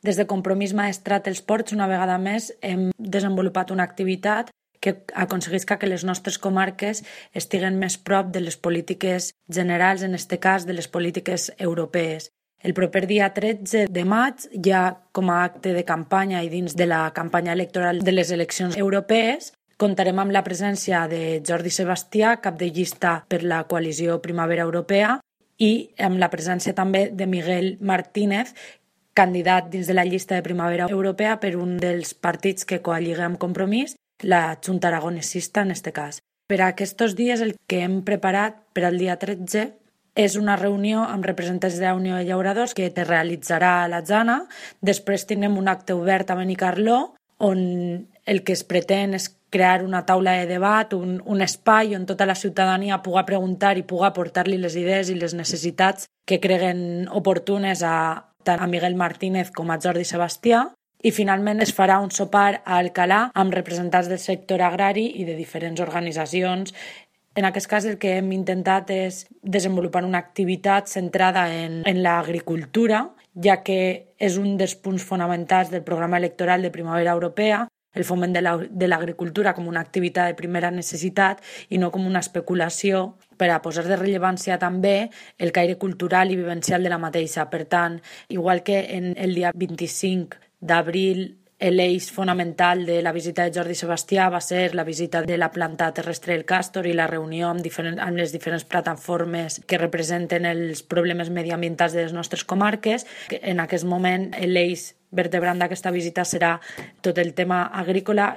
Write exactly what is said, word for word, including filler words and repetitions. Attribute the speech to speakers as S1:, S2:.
S1: Des de Compromís Maestrat els Ports, una vegada més, hem desenvolupat una activitat que aconseguisca que les nostres comarques estiguen més prop de les polítiques generals, en aquest cas de les polítiques europees. El proper dia tretze de maig, ja com a acte de campanya i dins de la campanya electoral de les eleccions europees, comptarem amb la presència de Jordi Sebastià, cap de llista per la coalició Primavera Europea, i amb la presència també de Miguel Martínez, candidat dins de la llista de Primavera Europea per un dels partits que coalliga amb Compromís, la Junta Aragonesista en aquest cas. Per a aquests dies el que hem preparat per al dia tretze és una reunió amb representants de la Unió de Llauradors que es realitzarà a la Jana. Després tindrem un acte obert a Benicarló on el que es pretén és crear una taula de debat, un, un espai on tota la ciutadania pugui preguntar i pugui aportar-li les idees i les necessitats que creguen oportunes a tant a Miguel Martínez com a Jordi Sebastià. I finalment es farà un sopar a Alcalà amb representants del sector agrari i de diferents organitzacions. En aquest cas el que hem intentat és desenvolupar una activitat centrada en, en l'agricultura, ja que és un dels punts fonamentals del programa electoral de Primavera Europea, el foment de l'agricultura com una activitat de primera necessitat i no com una especulació, per a posar de rellevància també el caire cultural i vivencial de la mateixa. Per tant, igual que en el dia vint-i-cinc d'abril l'eix fonamental de la visita de Jordi Sebastià va ser la visita de la planta terrestre del Càstor i la reunió amb, diferent, amb les diferents plataformes que representen els problemes mediambientals de les nostres comarques. En aquest moment l'eix vertebrant d'aquesta visita serà tot el tema agrícola